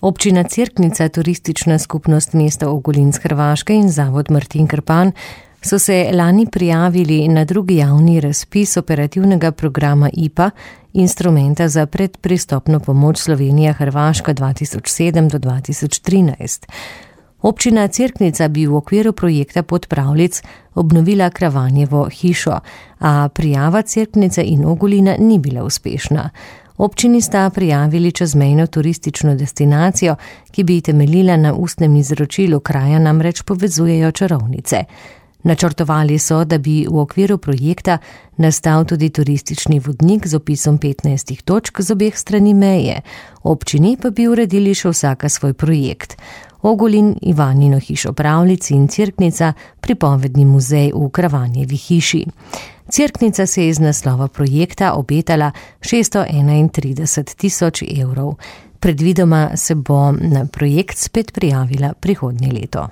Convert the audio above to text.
Občina Cerknica, turistična skupnost mesta Ogulin z Hrvaške in zavod Martin Krpan so se lani prijavili na drugi javni razpis operativnega programa IPA, instrumenta za predpristopno pomoč Slovenija-Hrvaška 2007 do 2013. Občina Cerknica bi v okviru projekta Podpravljic obnovila Kravanjevo hišo, a prijava Cerknice in Ogulina ni bila uspešna. Občini sta prijavili čezmejno turistično destinacijo, ki bi temeljila na ustnem izročilu, kraja namreč povezujejo čarovnice. Načrtovali so, da bi v okviru projekta nastal tudi turistični vodnik z opisom 15 točk z obeh strani meje. Občini pa bi uredili še vsaka svoj projekt. Ogulin, Ivanino hišo Pravljic in Cerknica, pripovedni muzej v Kravanjevi hiši. Cerknica se je iz naslova projekta obetala 631.000 evrov. Predvidoma se bo na projekt spet prijavila prihodnje leto.